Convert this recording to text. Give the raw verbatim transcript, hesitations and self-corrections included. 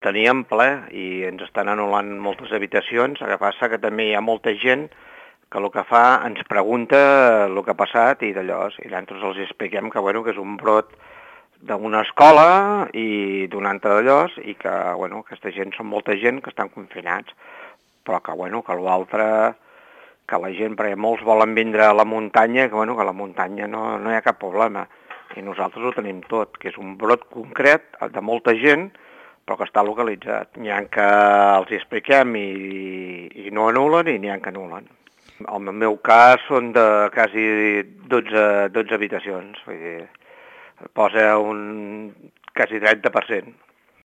Teníem ple i ens estan anul·lant moltes habitacions, el que passa que també hi ha molta gent que el que fa ens pregunta el que ha passat i d'allò, i nosaltres els expliquem que, bueno, que és un brot d'una escola i d'un altre d'allò, i que, bueno, aquesta gent són molta gent que estan confinats, però que, bueno, que l'altre, que la gent, perquè molts volen vindre a la muntanya, que, bueno, que a la muntanya no, no hi ha cap problema, i nosaltres ho tenim tot, que és un brot concret de molta gent, però que està localitzat. N'hi ha que els expliquem i, i no anulen i n'hi ha que anulen. En el meu cas són de quasi dotze, dotze habitacions, vull dir, posa un quasi trenta per cent.